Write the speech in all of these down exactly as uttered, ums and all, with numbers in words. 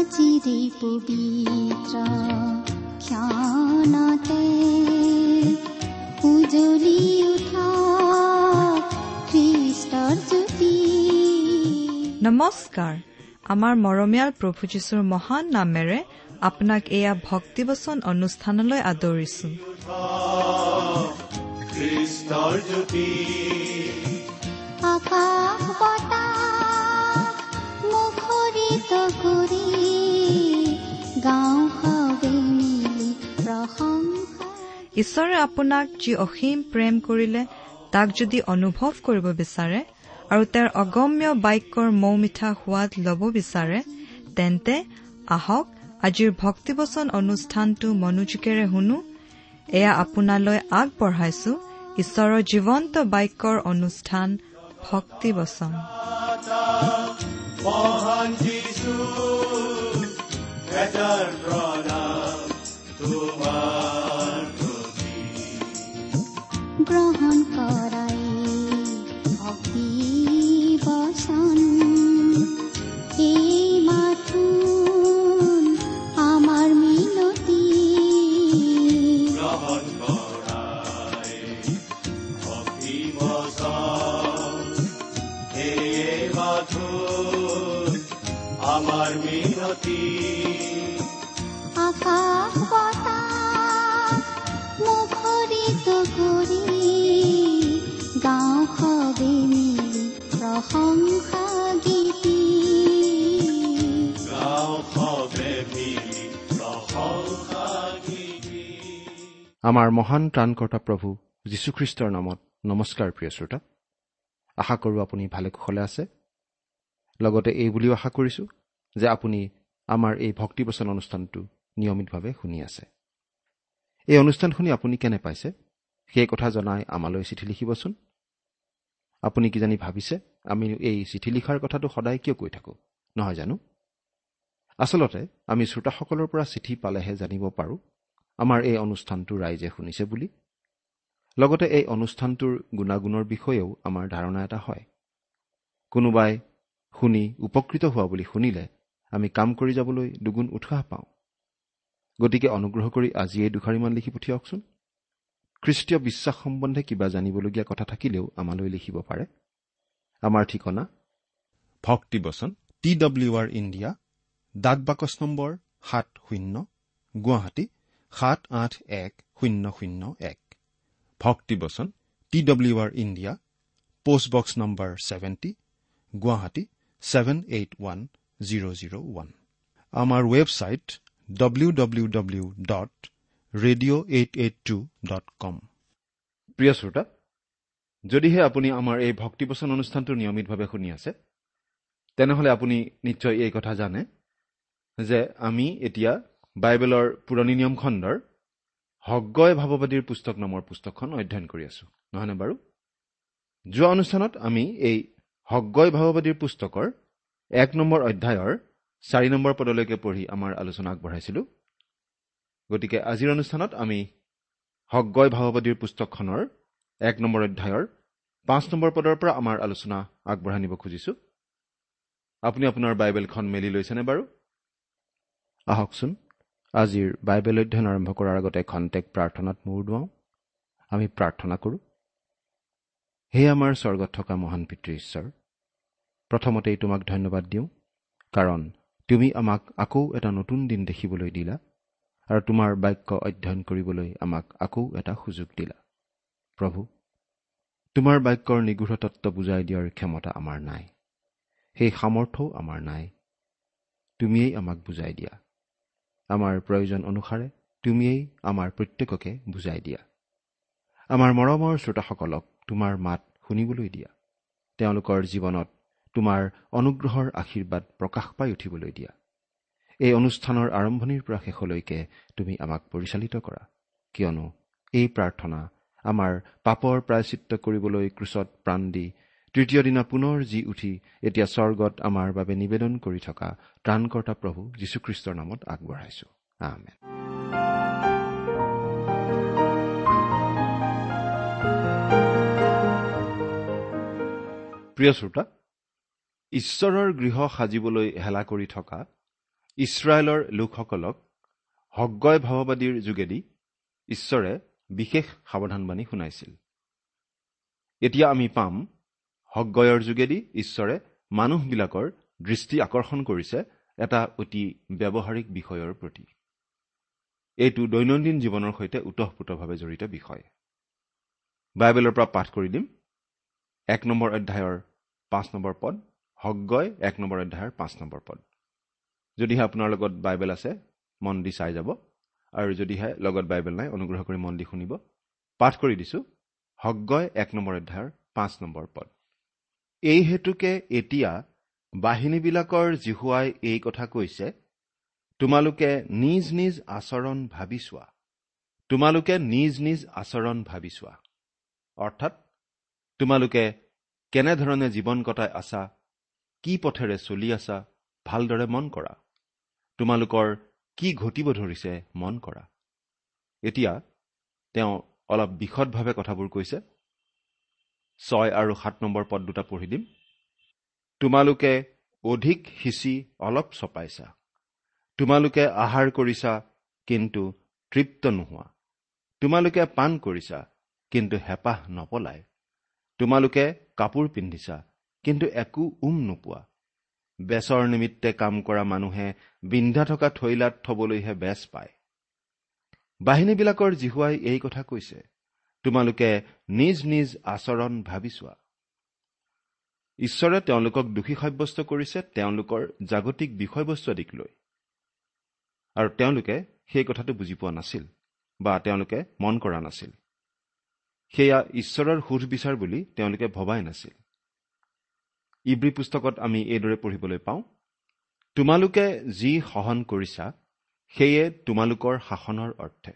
আজিৰে পবিত্ৰ ক্ষণতে উজ্বলি উঠা খ্ৰীষ্টৰ জ্যোতি। নমস্কাৰ। আমাৰ মৰমীয়াল প্ৰভু যীশুৰ মহান নামেৰে আপোনাক এয়া ভক্তিবচন অনুষ্ঠানলৈ আদৰিছো। খ্ৰীষ্টৰ জ্যোতি আকাশ বতাহ মুখৰিত কৰি গাওঁ সবে মিলি প্ৰশংসা। ঈশ্বৰে আপোনাক যি অসীম প্ৰেম কৰিলে তাক যদি অনুভৱ কৰিব বিচাৰে আৰু তেওঁৰ অগম্য বাক্যৰ মৌমিঠা সোৱাদ ল'ব বিচাৰে, তেন্তে আহক আজিৰ ভক্তিবচন অনুষ্ঠানটো মনোযোগেৰে শুনো। এয়া আপোনালৈ আগবঢ়াইছো ঈশ্বৰৰ জীৱন্ত বাক্যৰ অনুষ্ঠান ভক্তিবচন। মহান যীশু এটাৰ প্ৰণাম তোমাৰ প্ৰতি। গ্ৰহণ কৰাই ভক্তি বচন এই মাথোন আমাৰ মিনতি। গ্ৰহণ কৰাই ভক্তি বচন এই মাথোন আমাৰ মিনতি। আকাশ বতাহ মুখৰিত কৰি গাওঁ সবে মিলি প্ৰশংসা গীতি। গাওঁ সবে মিলি প্ৰশংসা গীতি। আমাৰ মহান ত্ৰাণকৰ্তা প্ৰভু যীশুখ্ৰীষ্টৰ নামত নমস্কাৰ প্ৰিয় শ্ৰোতা। আশা কৰোঁ আপুনি ভালে কুশলে আছে। লগতে এই বুলিও আশা কৰিছোঁ যে আপুনি আমাৰ এই ভক্তিবচন অনুষ্ঠানটো নিয়মিতভাৱে শুনি আছে। এই অনুষ্ঠান শুনি আপুনি কেনে পাইছে সেই কথা জনাই আমালৈ চিঠি লিখিবচোন। আপুনি কিজানি ভাবিছে আমি এই চিঠি লিখাৰ কথাটো সদায় কিয় কৈ থাকোঁ, নহয় জানো? আচলতে আমি শ্ৰোতাসকলৰ পৰা চিঠি পালেহে জানিব পাৰোঁ আমাৰ এই অনুষ্ঠানটো ৰাইজে শুনিছে বুলি। লগতে এই অনুষ্ঠানটোৰ গুণাগুণৰ বিষয়েও আমাৰ ধাৰণা এটা হয়। কোনোবাই শুনি উপকৃত হোৱা বুলি শুনিলে আমি কাম কৰি যাবলৈ দুগুণ উৎসাহ পাওঁ। গতিকে অনুগ্ৰহ কৰি আজিয়েই দুষাৰিমান লিখি পঠিয়াওকচোন। খ্ৰীষ্টীয় বিশ্বাস সম্বন্ধে কিবা জানিবলগীয়া কথা থাকিলেও আমালৈ লিখিব পাৰে। আমাৰ ঠিকনা ভক্তিবচন টি ডব্লিউ আৰ ইণ্ডিয়া, ডাক বাকচ নম্বৰ সাত শূন্য, গুৱাহাটী সাত আঠ এক শূন্য শূন্য এক। ভক্তিবচন T W R India, post box number seventy, Guwahati seven eight one zero zero one. আমাৰ website W W W dot radio eight eight two dot com. প্ৰিয় শ্ৰোতা, যদিহে আপুনি আমাৰ এই ভক্তিবচন অনুষ্ঠানটো নিয়মিতভাৱে শুনি আছে, তেনেহ'লে আপুনি নিশ্চয় এই কথা জানে যে আমি এতিয়া বাইবেলৰ পুৰণি নিয়ম খণ্ডৰ হগ্গয় ভাৱবাদীৰ পুস্তক নামৰ পুস্তকখন অধ্যয়ন কৰি আছোঁ, নহয়নে বাৰু? যোৱা অনুষ্ঠানত আমি এই হগ্গয় ভাৱবাদীৰ পুস্তকৰ এক নম্বৰ অধ্যায়ৰ চাৰি নম্বৰ পদলৈকে পঢ়ি আমাৰ আলোচনা আগবঢ়াইছিলোঁ। গতিকে আজিৰ অনুষ্ঠানত আমি হগ্গয় ভাৱবাদীৰ পুস্তকখনৰ এক নম্বৰ অধ্যায়ৰ পাঁচ নম্বৰ পদৰ পৰা আমাৰ আলোচনা আগবঢ়াই নিব খুজিছোঁ। আপুনি আপোনাৰ বাইবেলখন মেলি লৈছেনে বাৰু? আহকচোন আজিৰ বাইবেল অধ্যয়ন আৰম্ভ কৰাৰ আগতে খন্তেক প্ৰাৰ্থনাত মূৰ দুৱাওঁ। আমি প্ৰাৰ্থনা কৰোঁ। হে আমাৰ স্বৰ্গত থকা মহান পিতৃ ঈশ্বৰ, প্ৰথমতেই তোমাক ধন্যবাদ দিওঁ, কাৰণ তুমি আমাক আকৌ এটা নতুন দিন দেখিবলৈ দিলা আৰু তোমাৰ বাক্য অধ্যয়ন কৰিবলৈ আমাক আকৌ এটা সুযোগ দিলা। প্ৰভু, তোমাৰ বাক্যৰ নিগূঢ় তত্ত্ব বুজাই দিয়াৰ ক্ষমতা আমাৰ নাই, সেই সামৰ্থ্যও আমাৰ নাই। তুমিয়েই আমাক বুজাই দিয়া। আমাৰ প্ৰয়োজন অনুসাৰে তুমিয়েই আমাৰ প্ৰত্যেককে বুজাই দিয়া। আমাৰ মৰমৰ শ্ৰোতাসকলক তোমাৰ মাত শুনিবলৈ দিয়া। তেওঁলোকৰ জীৱনত তোমাৰ অনুগ্ৰহৰ আশীৰ্বাদ প্ৰকাশ পাই উঠিবলৈ দিয়া। এই অনুষ্ঠানৰ আৰম্ভণিৰ পৰা শেষলৈকে তুমি আমাক পৰিচালিত কৰা, কিয়নো এই প্ৰাৰ্থনা আমাৰ পাপৰ প্ৰায়শ্চিত্ত কৰিবলৈ ক্ৰুচত প্ৰাণ দি তৃতীয় দিনা পুনৰ জি উঠি এতিয়া স্বৰ্গত আমাৰ বাবে নিবেদন কৰি থকা ত্ৰাণকৰ্তা প্ৰভু যীশুখ্ৰীষ্টৰ নামত আগবঢ়াইছো। আমেন। প্ৰিয় শ্ৰোতা, ঈশ্বৰৰ গৃহ সাজিবলৈ হেলা কৰি থকা ইছৰাইলৰ লোকসকলক হগ্গয় ভাৱবাদীৰ যোগেদি ঈশ্বৰে বিশেষ সাৱধানবাণী শুনাইছিল। এতিয়া আমি পাম হগ্গয়ৰ যোগেদি ঈশ্বৰে মানুহবিলাকৰ দৃষ্টি আকৰ্ষণ কৰিছে এটা অতি ব্যৱহাৰিক বিষয়ৰ প্ৰতি। এইটো দৈনন্দিন জীৱনৰ সৈতে ওতঃপ্ৰোতভাৱে জড়িত বিষয়। বাইবেলৰ পৰা পাঠ কৰি দিম। এক নম্বৰ অধ্যায়ৰ পাঁচ নম্বৰ পদ, হগ্গয় এক নম্বৰ অধ্যায়ৰ পাঁচ নম্বৰ পদ। যদিহে আপোনাৰ লগত বাইবেল আছে মন দি চাই যাব, আৰু যদিহে লগত বাইবেল নাই অনুগ্ৰহ কৰি মন দি শুনিব। পাঠ কৰি দিছো, হগ্গয় এক নম্বৰ অধ্যায়ৰ পাঁচ নম্বৰ পদ। এই হেতুকে এতিয়া বাহিনীবিলাকৰ যিহোৱাই এই কথা কৈছে, তোমালোকে নিজ নিজ আচৰণ ভাবি চোৱা। তোমালোকে নিজ নিজ আচৰণ ভাবি চোৱা, অৰ্থাৎ তোমালোকে কেনেধৰণে জীৱন কটাই আছা, কি পথেৰে চলি আছা ভালদৰে মন কৰা। তোমালোকৰ কি ঘটিব ধৰিছে মন কৰা। এতিয়া তেওঁ অলপ বিশদভাৱে কথাবোৰ কৈছে। ছয় আৰু সাত নম্বৰ পদ দুটা পঢ়ি দিম। তোমালোকে অধিক সিঁচি অলপ চপাইছা, তোমালোকে আহাৰ কৰিছা কিন্তু তৃপ্ত নোহোৱা, তোমালোকে পান কৰিছা কিন্তু হেঁপাহ নপলায়, তোমালোকে কাপোৰ পিন্ধিছা কিন্তু একো উম নোপোৱা, বেচৰ নিমিত্তে কাম কৰা মানুহে বিন্ধা থকা থৈলাত থবলৈহে বেচ পায়। বাহিনীবিলাকৰ যিহোৱাই এই কথা কৈছে, তোমালোকে নিজ নিজ আচৰণ ভাবি চোৱা। ঈশ্বৰে তেওঁলোকক দোষী সাব্যস্ত কৰিছে তেওঁলোকৰ জাগতিক বিষয়বস্তু আদিক লৈ, আৰু তেওঁলোকে সেই কথাটো বুজি পোৱা নাছিল বা তেওঁলোকে মন কৰা নাছিল। সেয়া ঈশ্বৰৰ সুধ বিচাৰ বুলি তেওঁলোকে ভবাই নাছিল। ইব্ৰী পুস্তকত আমি এইদৰে পঢ়িবলৈ পাওঁ, তোমালোকে যি সহন কৰিছা সেয়ে তোমালোকৰ শাসনৰ অৰ্থে,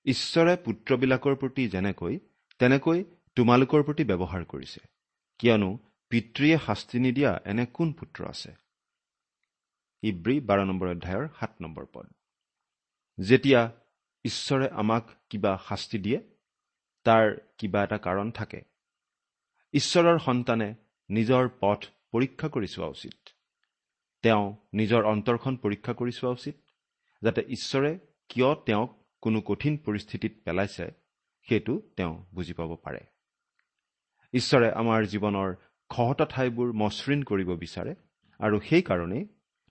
ঈশ্বৰে পুত্ৰবিলাকৰ প্ৰতি যেনেকৈ তেনেকৈ তোমালোকৰ প্ৰতি ব্যৱহাৰ কৰিছে, কিয়নো পিতৃয়ে শাস্তি নিদিয়া এনে কোন পুত্ৰ আছে। ইব্ৰী বাৰ নম্বৰ অধ্যায়ৰ সাত নম্বৰ পদ। যেতিয়া ঈশ্বৰে আমাক কিবা শাস্তি দিয়ে তাৰ কিবা এটা কাৰণ থাকে। ঈশ্বৰৰ সন্তানে নিজৰ পথ পৰীক্ষা কৰি চোৱা উচিত। তেওঁ নিজৰ অন্তৰখন পৰীক্ষা কৰি চোৱা উচিত, যাতে ঈশ্বৰে কিয় তেওঁক কোনো কঠিন পৰিস্থিতিত পেলাইছে সেইটো তেওঁ বুজি পাব পাৰে। ঈশ্বৰে আমাৰ জীৱনৰ খহটা ঠাইবোৰ মসৃণ কৰিব বিচাৰে, আৰু সেইকাৰণেই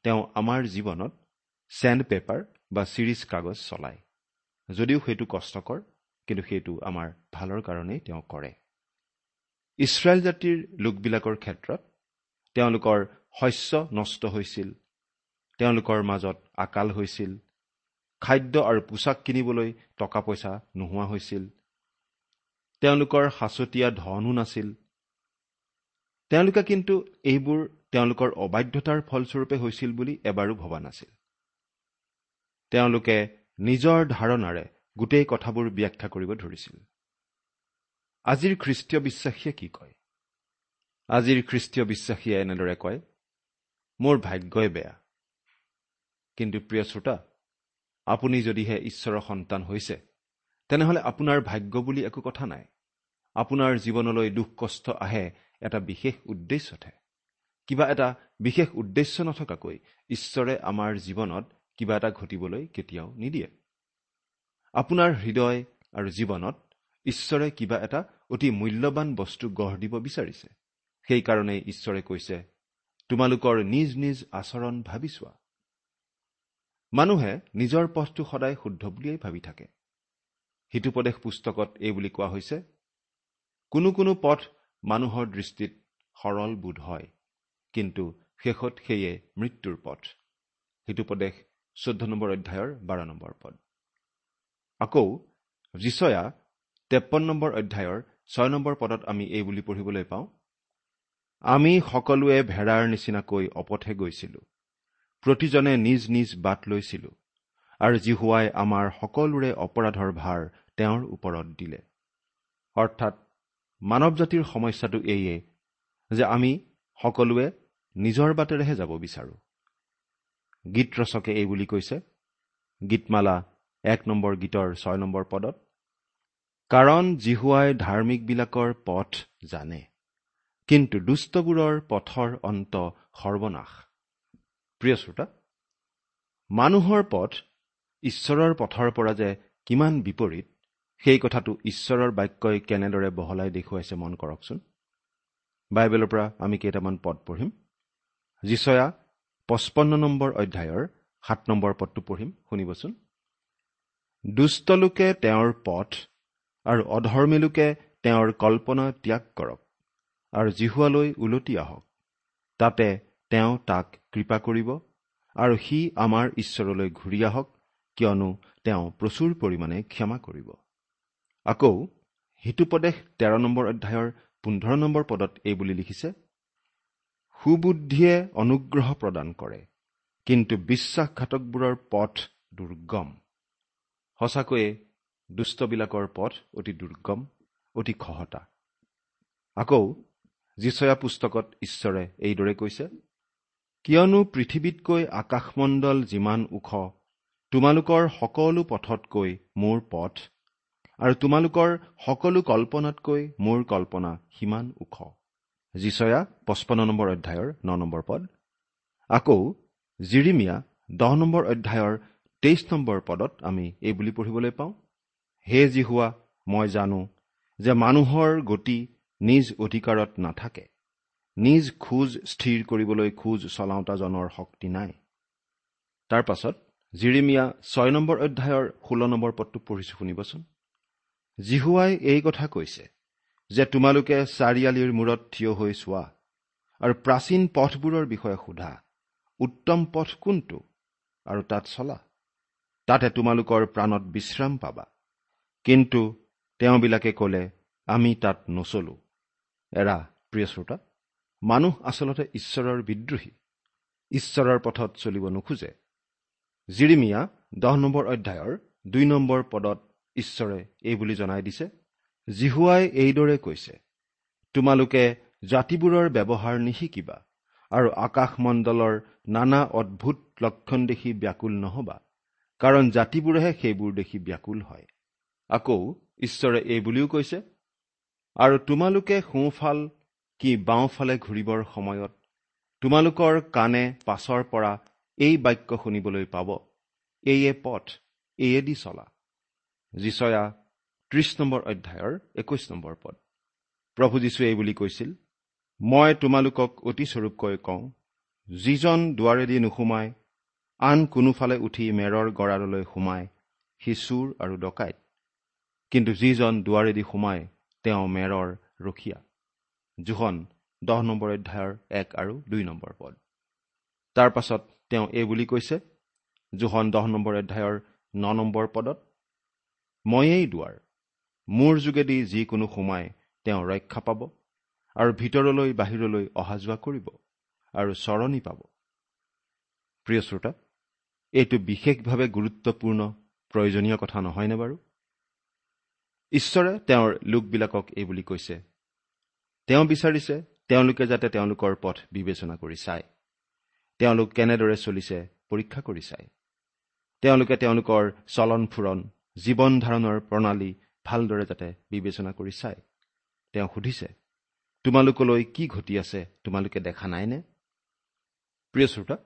তেওঁ আমাৰ জীৱনত চেণ্ড পেপাৰ বা চিৰিজ কাগজ চলায়। যদিও সেইটো কষ্টকৰ, কিন্তু সেইটো আমাৰ ভালৰ কাৰণেই তেওঁ কৰে। ইছৰাইল জাতিৰ লোকবিলাকৰ ক্ষেত্ৰত তেওঁলোকৰ শস্য নষ্ট হৈছিল, তেওঁলোকৰ মাজত আকাল হৈছিল, খাদ্য আৰু পোছাক কিনিবলৈ টকা পইচা নোহোৱা হৈছিল, তেওঁলোকৰ সাঁচতীয়া ধনো নাছিল। তেওঁলোকে কিন্তু এইবোৰ তেওঁলোকৰ অবাধ্যতাৰ ফলস্বৰূপে হৈছিল বুলি এবাৰো ভবা নাছিল। তেওঁলোকে নিজৰ ধাৰণাৰে গোটেই কথাবোৰ ব্যাখ্যা কৰিব ধৰিছিল। আজিৰ খ্ৰীষ্টীয় বিশ্বাসীয়ে কি কয়? আজিৰ খ্ৰীষ্টীয় বিশ্বাসীয়ে এনেদৰে কয়, মোৰ ভাগ্যই বেয়া। কিন্তু প্ৰিয় শ্ৰোতা, আপুনি যদিহে ঈশ্বৰৰ সন্তান হৈছে তেনেহ'লে আপোনাৰ ভাগ্য বুলি একো কথা নাই। আপোনাৰ জীৱনলৈ দুখ কষ্ট আহে এটা বিশেষ উদ্দেশ্যতহে। কিবা এটা বিশেষ উদ্দেশ্য নথকাকৈ ঈশ্বৰে আমাৰ জীৱনত কিবা এটা ঘটিবলৈ কেতিয়াও নিদিয়ে। আপোনাৰ হৃদয় আৰু জীৱনত ঈশ্বৰে কিবা এটা অতি মূল্যৱান বস্তু গঢ় দিব বিচাৰিছে। সেইকাৰণেই ঈশ্বৰে কৈছে, তোমালোকৰ নিজ নিজ আচৰণ ভাবি চোৱা। মানুহে নিজৰ পথটো সদায় শুদ্ধ বুলিয়েই ভাবি থাকে। হিতোপদেশ পুস্তকত এই বুলি কোৱা হৈছে, কোনো কোনো পথ মানুহৰ দৃষ্টিত সৰল বোধ হয়, কিন্তু শেষত সেয়ে মৃত্যুৰ পথ। হিতোপদেশ চৈধ্য নম্বৰ অধ্যায়ৰ বাৰ নম্বৰ পদ। আকৌ যিচয়া তেপন্ন নম্বৰ অধ্যায়ৰ ছয় নম্বৰ পদত আমি এই বুলি পঢ়িবলৈ পাওঁ, আমি সকলোৱে ভেড়াৰ নিচিনাকৈ অপথে গৈছিলোঁ, প্ৰতিজনে নিজ নিজ বাট লৈছিলোঁ, আৰু যিহোৱাই আমাৰ সকলোৰে অপৰাধৰ ভাৰ তেওঁৰ ওপৰত দিলে। অৰ্থাৎ মানৱ জাতিৰ সমস্যাটো এইয়ে যে আমি সকলোৱে নিজৰ বাটেৰেহে যাব বিচাৰোঁ। গীত ৰচকে এই বুলি কৈছে, গীতমালা এক নম্বৰ গীতৰ ছয় নম্বৰ পদত, কাৰণ যিহোৱাই ধাৰ্মিকবিলাকৰ পথ জানে, কিন্তু দুষ্টবোৰৰ পথৰ অন্ত সৰ্বনাশ। প্ৰিয় শ্ৰোতা, মানুহৰ পথ ঈশ্বৰৰ পথৰ পৰা যে কিমান বিপৰীত, সেই কথাটো ঈশ্বৰৰ বাক্যই কেনেদৰে বহলাই দেখুৱাইছে মন কৰকচোন। বাইবেলৰ পৰা আমি কেইটামান পদ পঢ়িম। যিচয়া পঁচপন্ন নম্বৰ অধ্যায়ৰ সাত নম্বৰ পদটো পঢ়িম, শুনিবচোন। দুষ্টলোকে তেওঁৰ পথ আৰু অধৰ্মীলোকে তেওঁৰ কল্পনা ত্যাগ কৰক আৰু যিহোৱালৈ উলটি আহক, তাতে তেওঁ তাক কৃপা কৰিব আৰু সি আমাৰ ঈশ্বৰলৈ ঘূৰি আহক, কিয়নো তেওঁ প্ৰচুৰ পৰিমাণে ক্ষমা কৰিব। আকৌ হিতোপদেশ তেৰ নম্বৰ অধ্যায়ৰ পোন্ধৰ নম্বৰ পদত এই বুলি লিখিছে, সুবুদ্ধিয়ে অনুগ্ৰহ প্ৰদান কৰে, কিন্তু বিশ্বাসঘাতকবোৰৰ পথ দুৰ্গম। সঁচাকৈয়ে দুষ্টবিলাকৰ পথ অতি দুৰ্গম, অতি খহটা। আকৌ যিচয়া পুস্তকত ঈশ্বৰে এইদৰে কৈছে, কিয়নো পৃথিৱীতকৈ আকাশমণ্ডল যিমান ওখ, তোমালোকৰ সকলো পথতকৈ মোৰ পথ আৰু তোমালোকৰ সকলো কল্পনাতকৈ মোৰ কল্পনা সিমান ওখ। যিচয়া পঁচপন্ন নম্বৰ অধ্যায়ৰ ন নম্বৰ পদ। আকৌ জিৰিমিয়া দহ নম্বৰ অধ্যায়ৰ তেইছ নম্বৰ পদত আমি এই বুলি পঢ়িবলৈ পাওঁ, হে যিহোৱা, মই জানো যে মানুহৰ গতি নিজ অধিকাৰত নাথাকে, নিজ খোজ স্থিৰ কৰিবলৈ খোজ চলাওঁতাজনৰ শক্তি নাই। তাৰ পাছত জিৰিমিয়া ছয় নম্বৰ অধ্যায়ৰ ষোল্ল নম্বৰ পদটো পঢ়িছোঁ, শুনিবচোন। যিহোৱাই এই কথা কৈছে যে তোমালোকে চাৰিআলিৰ মূৰত থিয় হৈ চোৱা আৰু প্ৰাচীন পথবোৰৰ বিষয়ে সোধা, উত্তম পথ কোনটো, আৰু তাত চলা, তাতে তোমালোকৰ প্ৰাণত বিশ্ৰাম পাবা। কিন্তু তেওঁবিলাকে ক'লে, আমি তাত নচলো। এৰা প্ৰিয় শ্ৰোতা, মানুহ আচলতে ঈশ্বৰৰ বিদ্ৰোহী, ঈশ্বৰৰ পথত চলিব নোখোজে। জিৰিমিয়া দহ নম্বৰ অধ্যায়ৰ দুই নম্বৰ পদত ঈশ্বৰে এই বুলি জনাই দিছে, যিহোৱাই এইদৰে কৈছে, তোমালোকে জাতিবোৰৰ ব্যৱহাৰ নিশিকিবা আৰু আকাশমণ্ডলৰ নানা অদ্ভুত লক্ষণ দেখি ব্যাকুল নহবা, কাৰণ জাতিবোৰেহে সেইবোৰ দেখি ব্যাকুল হয়। আকৌ ঈশ্বৰে এই বুলিও কৈছে, আৰু তোমালোকে সোঁফাল কি বাওঁফালে ঘূৰিবৰ সময়ত তোমালোকৰ কাণে পাছৰ পৰা এই বাক্য শুনিবলৈ পাব, এইয়ে পথ, এইয়েদি চলা। যিচয়া ত্ৰিশ নম্বৰ অধ্যায়ৰ একৈশ নম্বৰ পদ। প্ৰভু যীশুৱে এই বুলি কৈছিল, মই তোমালোকক অতি স্বৰূপকৈ কওঁ, যিজন দুৱাৰেদি নোসোমায় আন কোনোফালে উঠি মেৰৰ গঁৰাললৈ সোমায়, সি চোৰ আৰু ডকাইত, কিন্তু যিজন দুৱাৰেদি সোমায় তেওঁ মেৰৰ ৰখীয়া। যোহন দহ নম্বৰ অধ্যায়ৰ এক আৰু দুই নম্বৰ পদ। তাৰ পাছত তেওঁ এই বুলি কৈছে, যোহন দহ নম্বৰ অধ্যায়ৰ ন নম্বৰ পদত, ময়েই দুৱাৰ, মোৰ যোগেদি যিকোনো সোমায় তেওঁ ৰক্ষা পাব আৰু ভিতৰলৈ বাহিৰলৈ অহা যোৱা কৰিব আৰু চৰণি পাব। প্ৰিয় শ্ৰোতা, এইটো বিশেষভাৱে গুৰুত্বপূৰ্ণ প্ৰয়োজনীয় কথা নহয়নে বাৰু? ঈশ্বৰে তেওঁৰ লোকবিলাকক এই বুলি কৈছে, তেওঁ বিচাৰিছে তেওঁলোকে যাতে তেওঁলোকৰ পথ বিবেচনা কৰি চায়, তেওঁলোক কেনেদৰে চলিছে পৰীক্ষা কৰি চায়, তেওঁলোকে তেওঁলোকৰ চলন ফুৰণ, জীৱন ধাৰণৰ প্ৰণালী ভালদৰে যাতে বিবেচনা কৰি চায়। তেওঁ সুধিছে, তোমালোকলৈ কি ঘটি আছে তোমালোকে দেখা নাইনে? প্ৰিয় শ্ৰোতা,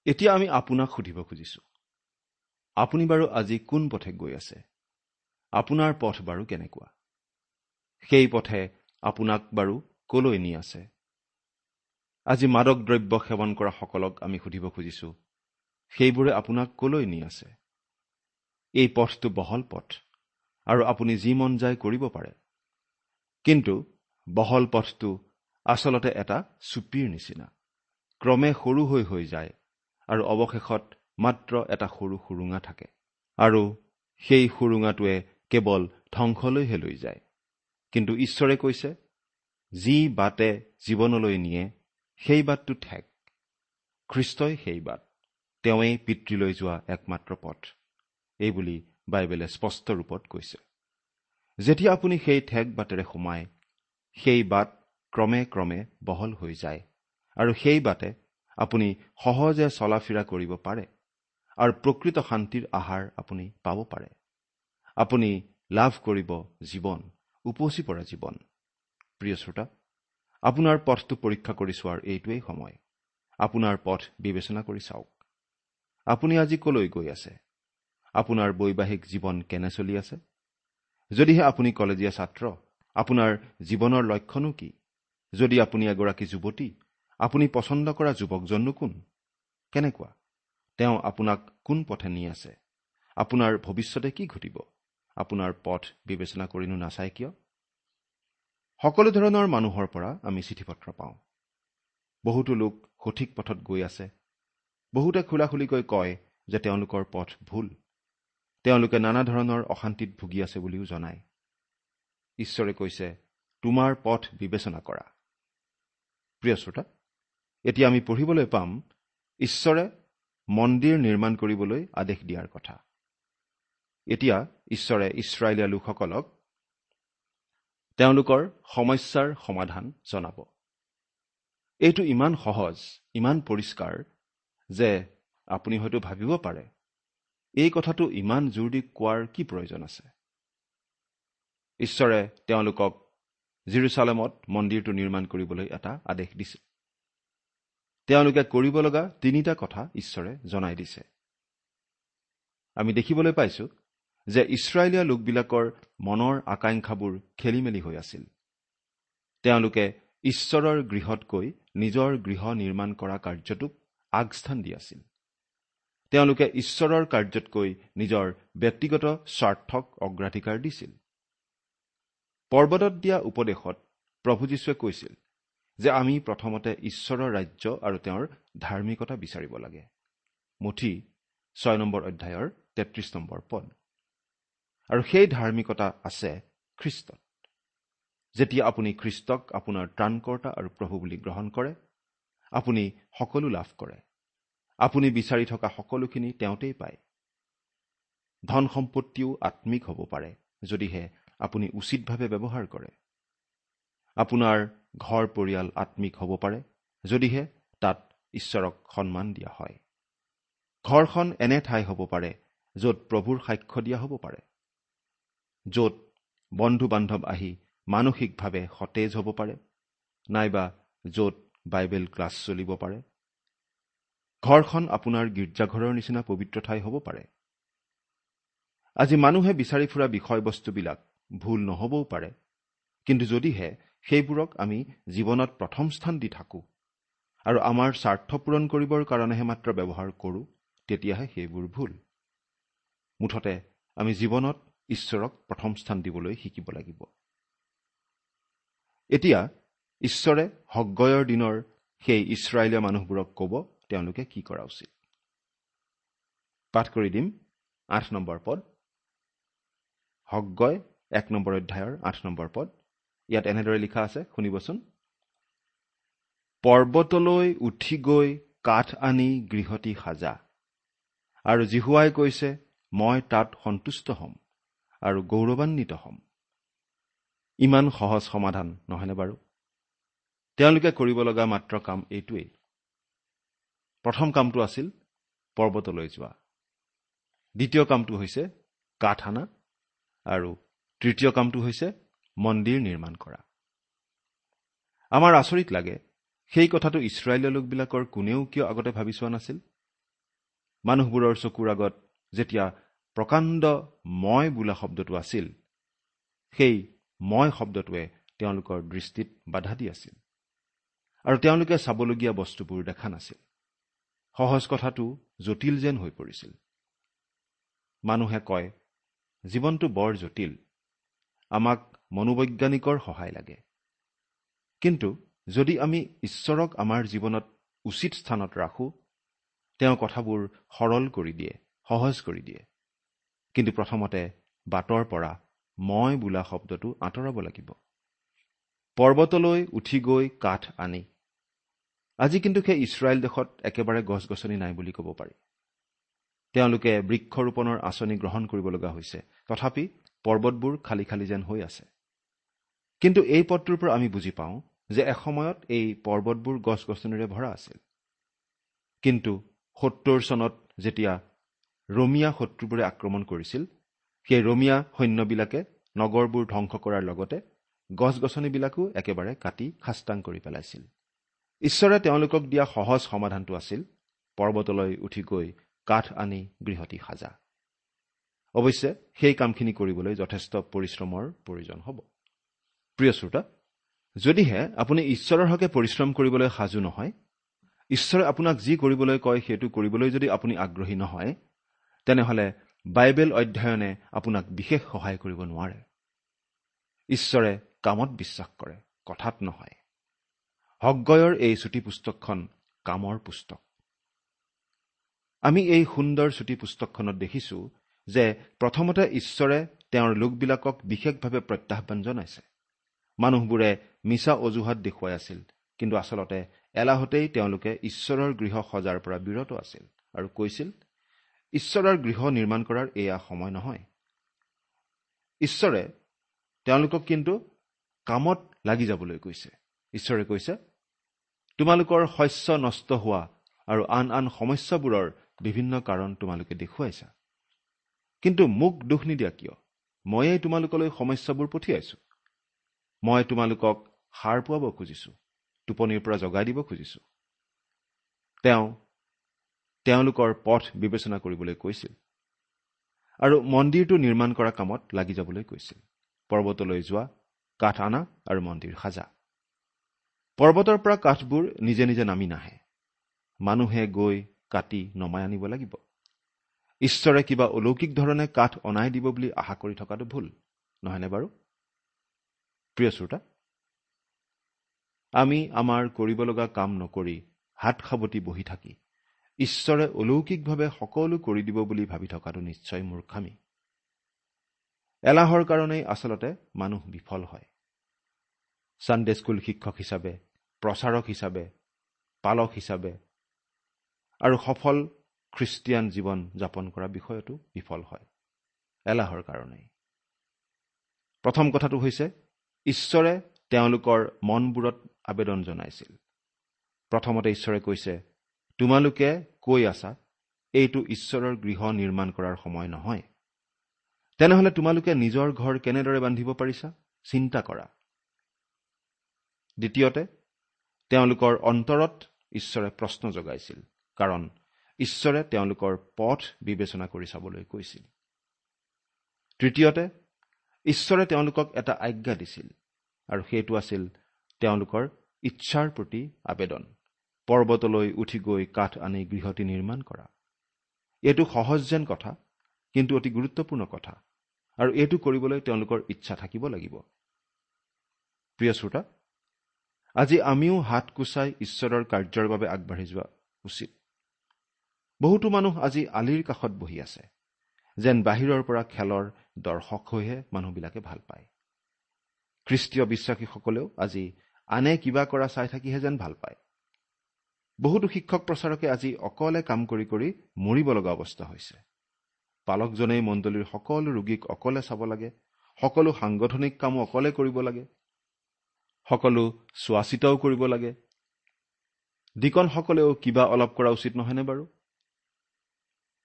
এতিয়া আমি আপোনাক সুধিব খুজিছোঁ, আপুনি বাৰু আজি কোন পথে গৈ আছে? আপোনাৰ পথ বাৰু কেনেকুৱা? সেই পথে আপোনাক বাৰু কলৈ নি আছে? আজি মাদক দ্ৰব্য সেৱন কৰা সকলক আমি সুধিব খুজিছোঁ, সেইবোৰে আপোনাক কলৈ নি আছে? এই পথটো বহল পথ আৰু আপুনি যি মন যায় কৰিব পাৰে, কিন্তু বহল পথটো আচলতে এটা চুপিৰ নিচিনা, ক্ৰমে সৰু হৈ হৈ যায় আৰু অৱশেষত মাত্ৰ এটা সৰু সুৰুঙা থাকে আৰু সেই সুৰুঙাটোৱে কেৱল ধ্বংসলৈহে লৈ যায়। কিন্তু ঈশ্বৰে কৈছে, যি বাটে জীৱনলৈ নিয়ে সেই বাটটো ঠেক, খ্ৰীষ্টই সেই বাট, তেওঁৱেই পিতৃলৈ যোৱা একমাত্ৰ পথ, এই বুলি বাইবেলে স্পষ্ট ৰূপত কৈছে। যেতিয়া আপুনি সেই ঠেক বাটেৰে সোমায়, সেই বাট ক্ৰমে ক্ৰমে বহল হৈ যায় আৰু সেই বাটে আপুনি সহজে চলা ফিৰা কৰিব পাৰে আৰু প্ৰকৃত শান্তিৰ আহাৰ আপুনি পাব পাৰে। আপুনি লাভ কৰিব জীৱন, উপচি পৰা জীৱন। প্ৰিয় শ্ৰোতা, আপোনাৰ পথটো পৰীক্ষা কৰি চোৱাৰ এইটোৱেই সময়। আপোনাৰ পথ বিবেচনা কৰি চাওক। আপুনি আজি কলৈ গৈ আছে? আপোনাৰ বৈবাহিক জীৱন কেনে চলি আছে? যদিহে আপুনি কলেজীয়া ছাত্ৰ, আপোনাৰ জীৱনৰ লক্ষ্যনো কি? যদি আপুনি এগৰাকী যুৱতী, আপুনি পচন্দ কৰা যুৱকজননো কোন, কেনেকুৱা? তেওঁ আপোনাক কোন পথে নি আছে? আপোনাৰ ভৱিষ্যতে কি ঘটিব? আপোনাৰ পথ বিবেচনা কৰিনো নাচায় কিয়? সকলো ধৰণৰ মানুহৰ পৰা আমি চিঠি পত্ৰ পাওঁ। বহুতো লোক সঠিক পথত গৈ আছে, বহুতে খোলাখুলিকৈ কয় যে তেওঁলোকৰ পথ ভুল, তেওঁলোকে নানা ধৰণৰ অশান্তিত ভুগি আছে বুলিও জনায়। ঈশ্বৰে কৈছে, তোমাৰ পথ বিবেচনা কৰা। প্ৰিয় শ্ৰোতা, এতিয়া আমি পঢ়িবলৈ পাম ঈশ্বৰে মন্দিৰ নিৰ্মাণ কৰিবলৈ আদেশ দিয়াৰ কথা। এতিয়া ঈশ্বৰে ইছৰাইলীয়া লোকসকলক তেওঁলোকৰ সমস্যাৰ সমাধান জনাব। এইটো ইমান সহজ, ইমান পৰিষ্কাৰ যে আপুনি হয়তো ভাবিব পাৰে, এই কথাটো ইমান জোৰ দি কোৱাৰ কি প্ৰয়োজন আছে? ঈশ্বৰে তেওঁলোকক জিৰচালেমত মন্দিৰটো নিৰ্মাণ কৰিবলৈ এটা আদেশ দিছে। তেওঁলোকে কৰিব লগা তিনিটা কথা ঈশ্বৰে জনাই দিছে। আমি দেখিবলৈ পাইছো যে ইছৰাইলীয়া লোকবিলাকৰ মনৰ আকাংক্ষাবোৰ খেলি মেলি হৈ আছিল। তেওঁলোকে ঈশ্বৰৰ গৃহতকৈ নিজৰ গৃহ নিৰ্মাণ কৰা কাৰ্যটোক আগস্থান দি আছিল। তেওঁলোকে ঈশ্বৰৰ কাৰ্যতকৈ নিজৰ ব্যক্তিগত স্বাৰ্থক অগ্ৰাধিকাৰ দিছিল। পৰ্বতত দিয়া উপদেশত প্ৰভু যীশুৱে কৈছিল যে আমি প্ৰথমতে ঈশ্বৰৰ ৰাজ্য আৰু তেওঁৰ ধাৰ্মিকতা বিচাৰিব লাগে। মুঠি ছয় নম্বৰ অধ্যায়ৰ তেত্ৰিশ নম্বৰ পদ। আৰু সেই ধাৰ্মিকতা আছে খ্ৰীষ্টত। যেতিয়া আপুনি খ্ৰীষ্টক আপোনাৰ ত্ৰাণকৰ্তা আৰু প্ৰভু বুলি গ্ৰহণ কৰে, আপুনি সকলো লাভ কৰে। আপুনি বিচাৰি থকা সকলোখিনি তেওঁতেই পায়। ধন সম্পত্তিও আত্মিক হ'ব পাৰে যদিহে আপুনি উচিতভাৱে ব্যৱহাৰ কৰে। আপোনাৰ ঘৰ পৰিয়াল আত্মিক হ'ব পাৰে যদিহে তাত ঈশ্বৰক সন্মান দিয়া হয়। ঘৰখন এনে ঠাই হ'ব পাৰে য'ত প্ৰভুৰ সাক্ষ্য দিয়া হ'ব পাৰে, য'ত বন্ধু বান্ধৱ আহি মানসিকভাৱে সতেজ হ'ব পাৰে, নাইবা য'ত বাইবেল ক্লাছ চলিব পাৰে। ঘৰখন আপোনাৰ গীৰ্জাঘৰৰ নিচিনা পবিত্ৰ ঠাই হ'ব পাৰে। আজি মানুহে বিচাৰি ফুৰা বিষয়বস্তুবিলাক ভুল নহ'বও পাৰে, কিন্তু যদিহে সেইবোৰক আমি জীৱনত প্ৰথম স্থান দি থাকোঁ আৰু আমাৰ স্বাৰ্থ পূৰণ কৰিবৰ কাৰণেহে মাত্ৰ ব্যৱহাৰ কৰোঁ, তেতিয়াহে সেইবোৰ ভুল। মুঠতে আমি জীৱনত ঈশ্বৰক প্ৰথম স্থান দিবলৈ শিকিব লাগিব। এতিয়া ঈশ্বৰে হগ্গয়ৰ দিনৰ সেই ইছৰাইলীয়া মানুহবোৰক ক'ব তেওঁলোকে কি কৰা উচিত। পাঠ কৰি দিম আঠ নম্বৰ পদ, হগ্গয় এক নম্বৰ অধ্যায়ৰ আঠ নম্বৰ পদ। ইয়াত এনেদৰে লিখা আছে, শুনিবচোন। পৰ্বতলৈ উঠি গৈ কাঠ আনি গৃহটি সাজা, আৰু যিহোৱাই কৈছে, মই তাত সন্তুষ্ট হ'ম আৰু গৌৰৱান্বিত হ'ম। ইমান সহজ সমাধান নহয়নে বাৰু? তেওঁলোকে কৰিব লগা মাত্ৰ কাম এইটোৱেই। প্ৰথম কামটো আছিল পৰ্বতলৈ যোৱা, দ্বিতীয় কামটো হৈছে কাঠ আনা, আৰু তৃতীয় কামটো হৈছে মন্দিৰ নিৰ্মাণ কৰা। আমাৰ আচৰিত লাগে, সেই কথাটো ইছৰাইলীয় লোকবিলাকৰ কোনেও কিয় আগতে ভাবি চোৱা নাছিল? মানুহবোৰৰ চকুৰ আগত যেতিয়া প্ৰকাণ্ড মই বোলা শব্দটো আছিল, সেই মই শব্দটোৱে তেওঁলোকৰ দৃষ্টিত বাধা দি আছিল আৰু তেওঁলোকে চাবলগীয়া বস্তুবোৰ দেখা নাছিল। সহজ কথাটো জটিল যেন হৈ পৰিছিল। মানুহে কয়, জীৱনটো বৰ জটিল, আমাক মনোবৈজ্ঞানিকৰ সহায় লাগে। কিন্তু যদি আমি ঈশ্বৰক আমাৰ জীৱনত উচিত স্থানত ৰাখোঁ, তেওঁ কথাবোৰ সৰল কৰি দিয়ে, সহজ কৰি দিয়ে। কিন্তু প্ৰথমতে বাটৰ পৰা মই বোলা শব্দটো আঁতৰাব লাগিব। পৰ্বতলৈ উঠি গৈ কাঠ আনি। আজি কিন্তু সেই ইছৰাইল দেশত একেবাৰে গছ গছনি নাই বুলি ক'ব পাৰি। তেওঁলোকে বৃক্ষৰোপণৰ আঁচনি গ্ৰহণ কৰিব লগা হৈছে, তথাপি পৰ্বতবোৰ খালী খালী যেন হৈ আছে। কিন্তু এই পদটোৰ পৰা আমি বুজি পাওঁ যে এসময়ত এই পৰ্বতবোৰ গছ গছনিৰে ভৰা আছিল। কিন্তু সত্তৰ চনত যেতিয়া ৰোমিয়া শত্ৰুবোৰে আক্ৰমণ কৰিছিল, সেই ৰোমিয়া সৈন্যবিলাকে নগৰবোৰ ধ্বংস কৰাৰ লগতে গছ গছনিবিলাকো একেবাৰে কাটি খাস্তাং কৰি পেলাইছিল। ঈশ্বৰে তেওঁলোকক দিয়া সহজ সমাধানটো আছিল পৰ্বতলৈ উঠি গৈ কাঠ আনি গৃহটি সাজা। অৱশ্যে সেই কামখিনি কৰিবলৈ যথেষ্ট পৰিশ্ৰমৰ প্ৰয়োজন হ'ব। প্ৰিয় শ্ৰোতা, যদিহে আপুনি ঈশ্বৰৰ হকে পৰিশ্ৰম কৰিবলৈ সাজু নহয়, ঈশ্বৰে আপোনাক যি কৰিবলৈ কয় সেইটো কৰিবলৈ যদি আপুনি আগ্ৰহী নহয়, তেনেহ'লে বাইবেল অধ্যয়নে আপোনাক বিশেষ সহায় কৰিব নোৱাৰে। ঈশ্বৰে কামত বিশ্বাস কৰে, কথাত নহয়। হগ্গয়ৰ এই চুটি পুস্তকখন কামৰ পুস্তক। আমি এই সুন্দৰ চুটি পুস্তকখনত দেখিছো যে প্ৰথমতে ঈশ্বৰে তেওঁৰ লোকবিলাকক বিশেষভাৱে প্ৰত্যাহ্বান জনাইছে। মানুহবোৰে মিছা অজুহাত দেখুৱাই আছিল, কিন্তু আচলতে এলাহতেই তেওঁলোকে ঈশ্বৰৰ গৃহ সজাৰ পৰা বিৰত আছিল আৰু কৈছিল, ঈশ্বৰৰ গৃহ নিৰ্মাণ কৰাৰ এয়া সময় নহয়। ঈশ্বৰে তেওঁলোকক কিন্তু কামত লাগি যাবলৈ কৈছে। ঈশ্বৰে কৈছে, তোমালোকৰ শস্য নষ্ট হোৱা আৰু আন আন সমস্যাবোৰৰ বিভিন্ন কাৰণ তোমালোকে দেখুৱাইছা, কিন্তু মোক দোষ নিদিয়া কিয়? ময়েই তোমালোকলৈ সমস্যাবোৰ পঠিয়াইছো। মই তোমালোকক সাৰ পোৱাব খুজিছো, টোপনিৰ পৰা জগাই দিব খুজিছো। তেওঁ তেওঁলোকৰ পথ বিবেচনা কৰিবলৈ কৈছিল আৰু মন্দিৰটো নিৰ্মাণ কৰা কামত লাগি যাবলৈ কৈছিল। পৰ্বতলৈ যোৱা, কাঠ আনা আৰু মন্দিৰ সাজা। পৰ্বতৰ পৰা কাঠবোৰ নিজে নিজে নামি নাহে, মানুহে গৈ কাটি নমাই আনিব লাগিব। ঈশ্বৰে কিবা অলৌকিক ধৰণে কাঠ অনাই দিব বুলি আশা কৰি থকাটো ভুল নহয়নে বাৰু? প্ৰিয় শ্ৰোতা, আমি আমাৰ কৰিব লগা কাম নকৰি হাত সাৱটি বহি থাকি ঈশ্বৰে অলৌকিকভাৱে সকলো কৰি দিব বুলি ভাবি থকাটো নিশ্চয় মূৰ্খামি। এলাহৰ কাৰণেই আচলতে মানুহ বিফল হয়। ছানডে স্কুল শিক্ষক হিচাপে, প্ৰচাৰক হিচাপে, পালক হিচাপে আৰু সফল খ্ৰীষ্টিয়ান জীৱন যাপন কৰা বিষয়তো বিফল হয় এলাহৰ কাৰণেই। প্ৰথম কথাটো হৈছে, ঈশ্বৰে তেওঁলোকৰ মনবোৰত আবেদন জনাইছিল। প্ৰথমতে ঈশ্বৰে কৈছে, তোমালোকে কৈ আছা এইটো ঈশ্বৰৰ গৃহ নিৰ্মাণ কৰাৰ সময় নহয়, তেনেহ'লে তোমালোকে নিজৰ ঘৰ কেনেদৰে বান্ধিব পাৰিছা চিন্তা কৰা। দ্বিতীয়তে, তেওঁলোকৰ অন্তৰত ঈশ্বৰে প্ৰশ্ন জগাইছিল, কাৰণ ঈশ্বৰে তেওঁলোকৰ পথ বিবেচনা কৰি চাবলৈ কৈছিল। তৃতীয়তে, ঈশ্বৰে তেওঁলোকক এটা আজ্ঞা দিছিল আৰু সেইটো আছিল তেওঁলোকৰ ইচ্ছাৰ প্ৰতি আবেদন, পৰ্বতলৈ উঠি গৈ কাঠ আনি গৃহটি নিৰ্মাণ কৰা। এইটো সহজ যেন কথা, কিন্তু অতি গুৰুত্বপূৰ্ণ কথা আৰু এইটো কৰিবলৈ তেওঁলোকৰ ইচ্ছা থাকিব লাগিব। প্ৰিয় শ্ৰোতা, আজি আমিও হাত কোচাই ঈশ্বৰৰ কাৰ্যৰ বাবে আগবাঢ়ি যোৱা উচিত। বহুতো মানুহ আজি আলিৰ কাষত বহি আছে, যেন বাহিৰৰ পৰা খেলৰ দৰ্শক হৈহে মানুহবিলাকে ভাল পায়। খ্ৰীষ্টীয় বিশ্বাসীসকলেও আজি আনে কিবা কৰা চাই থাকিহে যেন ভাল পায়। বহুতো শিক্ষক প্ৰচাৰকে আজি অকলে কাম কৰি কৰি মৰিব লগা অৱস্থা হৈছে। পালকজনেই মণ্ডলীৰ সকলো ৰোগীক অকলে চাব লাগে, সকলো সাংগঠনিক কামো অকলে কৰিব লাগে, সকলো চোৱা চিতাও কৰিব লাগে। ডিকনসকলেও কিবা অলপ কৰা উচিত নহয়নে বাৰু?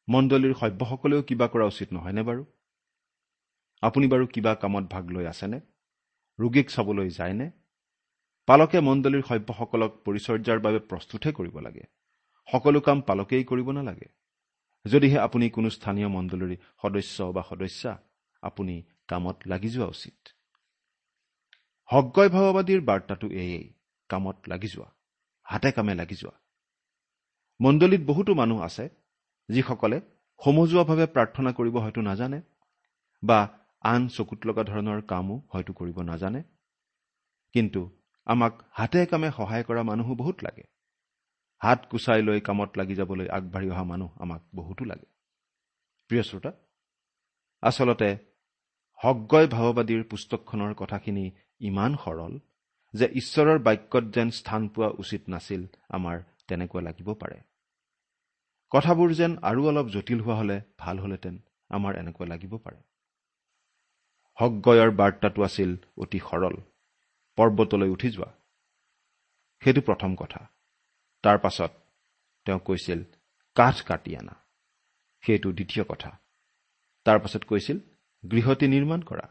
মণ্ডলীৰ সভ্যসকলেও কিবা কৰা উচিত নহয়নে বাৰু? আপুনি বাৰু কিবা কামত ভাগ লৈ আছেনে? ৰোগীক চাবলৈ যায়নে? পালকে মণ্ডলীৰ সভ্যসকলক পৰিচৰ্যাৰ বাবে প্ৰস্তুতহে কৰিব লাগে, সকলো কাম পালকেই কৰিব নালাগে। যদিহে আপুনি কোনো স্থানীয় মণ্ডলীৰ সদস্য বা সদস্যা, আপুনি কামত লাগি যোৱা উচিত। হগ্গয় ভাৱবাদীৰ বাৰ্তাটো এয়েই, কামত লাগি যোৱা, হাতে কামে লাগি যোৱা। মণ্ডলীত বহুতো মানুহ আছে যিসকলে সমজুৱাভাৱে প্ৰাৰ্থনা কৰিব হয়তো নাজানে বা আন চকুত লগা ধৰণৰ কামো হয়তো কৰিব নাজানে, কিন্তু আমাক হাতে কামে সহায় কৰা মানুহো বহুত লাগে। হাত কুচাই লৈ কামত লাগি যাবলৈ আগবাঢ়ি অহা মানুহ আমাক বহুতো লাগে। প্ৰিয় শ্ৰোতা, আচলতে হগ্গয় ভাৱবাদীৰ পুস্তকখনৰ কথাখিনি ইমান সৰল যে ঈশ্বৰৰ বাক্যত যেন স্থান পোৱা উচিত নাছিল, আমাৰ তেনেকুৱা লাগিব পাৰে। কথাবোৰ যেন আৰু অলপ জটিল হোৱা হ'লে ভাল হ'লহেঁতেন, আমাৰ এনেকুৱা লাগিব পাৰে। হগ্গয়ৰ বাৰ্তাটো আছিল অতি সৰল, পৰ্বতলৈ উঠি যোৱা, সেইটো প্ৰথম কথা। তাৰ পাছত তেওঁ কৈছিল কাঠ কাটি আনা, সেইটো দ্বিতীয় কথা। তাৰ পাছত কৈছিল গৃহটি নিৰ্মাণ কৰা।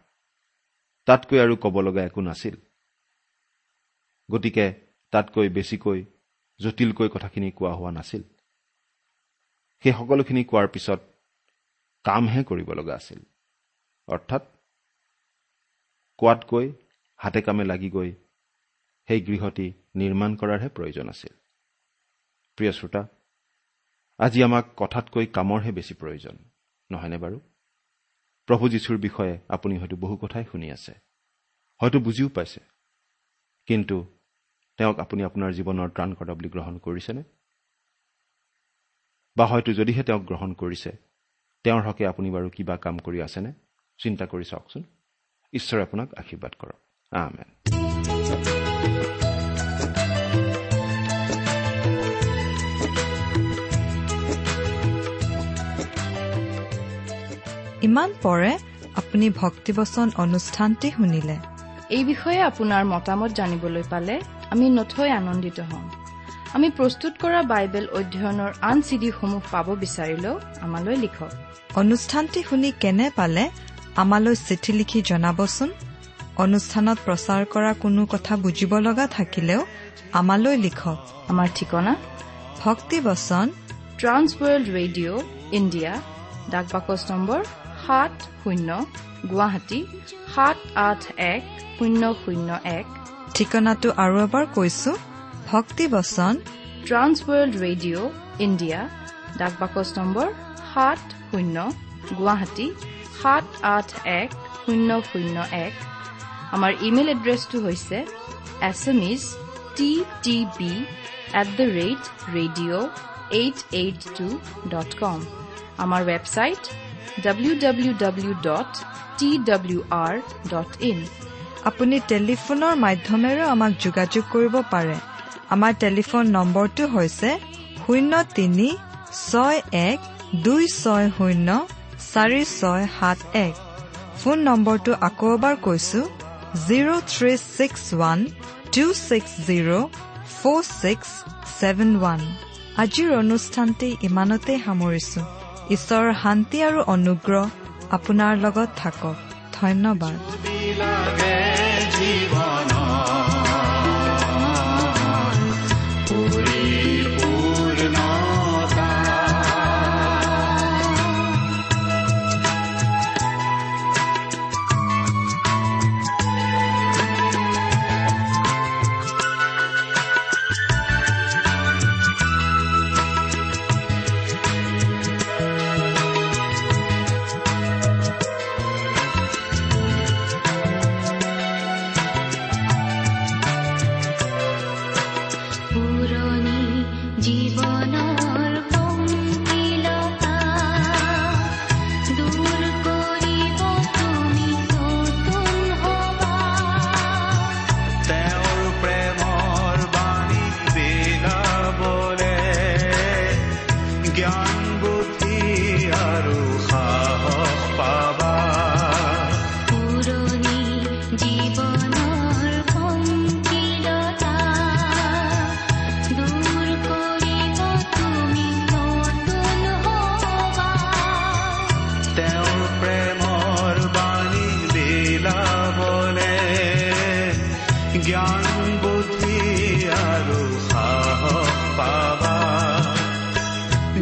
তাতকৈ আৰু ক'ব লগা একো নাছিল। গতিকে তাতকৈ বেছিকৈ জটিলকৈ কথাখিনি কোৱা হোৱা নাছিল। সেই সকলোখিনি কোৱাৰ পিছত কামহে কৰিব লগা আছিল। অৰ্থাৎ কোৱাতকৈ হাতে কামে লাগি গৈ সেই গৃহটি নিৰ্মাণ কৰাৰহে প্ৰয়োজন আছিল। প্ৰিয় শ্ৰোতা, আজি আমাক কথাতকৈ কামৰহে বেছি প্ৰয়োজন, নহয়নে বাৰু? প্ৰভু যীশুৰ বিষয়ে আপুনি হয়তো বহু কথাই শুনি আছে, হয়তো বুজিও পাইছে, কিন্তু তেওঁক আপুনি আপোনাৰ জীৱনৰ ত্ৰাণকৰ্তা বুলি গ্ৰহণ কৰিছেনে? বা হয়তো যদিহে তেওঁক গ্ৰহণ কৰিছে, তেওঁৰ হকে আপুনি বাৰু কিবা কাম কৰি আছেনে? চিন্তা কৰি চাওকচোন। ঈশ্বৰে আপোনাক আশীৰ্বাদ কৰক। আমেন। ইমান পৰে আপুনি ভক্তিবচন অনুষ্ঠানটি শুনিলে। এই বিষয়ে আপোনাৰ মতামত জানিবলৈ পালে আমি নথৈ আনন্দিত হ'ম। আমি প্ৰস্তুত কৰা বাইবেল অধ্যয়নৰ আন চিডিসমূহ পাব বিচাৰিলেও আমালৈ লিখক। অনুষ্ঠানটি শুনি কেনে পালে আমালৈ চিঠি লিখি জনাবচোন। অনুষ্ঠানত প্ৰচাৰ কৰা কোনো কথা বুজিব লগা থাকিলেও আমালৈ লিখক। আমাৰ ঠিকনা ভক্তিবচন ট্ৰান্স ৱৰ্ল্ড ৰেডিঅ' ইণ্ডিয়া, ডাক বাকচ নম্বৰ সাত শূন্য, গুৱাহাটী সাত আঠ এক শূন্য শূন্য এক। ঠিকনাটো আৰু এবাৰ কৈছো, ভক্তিবচন ট্ৰান্স ৱৰ্ল্ড ৰেডিঅ' ইণ্ডিয়া, ডাক বাকচ নম্বৰ সাত শূন্য, গুৱাহাটী সাত আঠ এক শূন্য শূন্য এক। আমাৰ ইমেইল এড্ৰেছটো হৈছে S M S T T B at the rate radio eight eight two dot com. আমাৰ website W W W dot T W R dot in. আপুনি টেলিফোনৰ মাধ্যমেৰেও আমাক যোগাযোগ কৰিব পাৰে। আমাৰ টেলিফোন নম্বৰটো হৈছে শূন্য তিনি ছয় এক দুই ছয় শূন্য চাৰি ছয় সাত এক। ফোন নম্বৰটো আকৌ এবাৰ কৈছো, zero three six one two six zero four six seven one. আজিৰ অনুষ্ঠানটি ইমানতে সামৰিছো। ঈশ্বৰৰ শান্তি আৰু অনুগ্ৰহ আপোনাৰ লগত থাকক। ধন্যবাদ। জ্ঞান বুদ্ধি আৰু সাহস পাবা,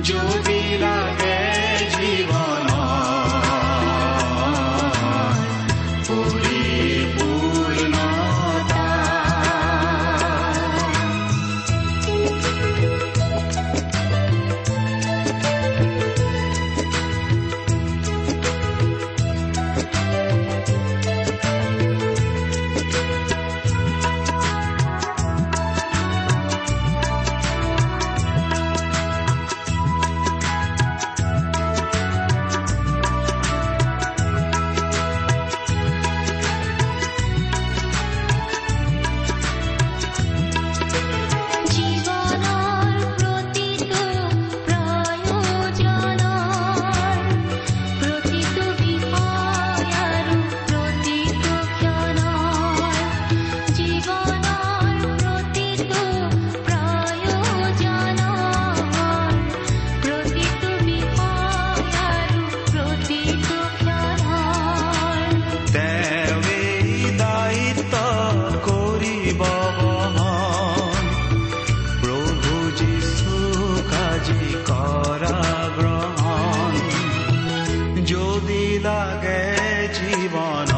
যদি লাগে জীৱন পৰিপূৰ্ণতা। Thank you. লাগে জীৱন।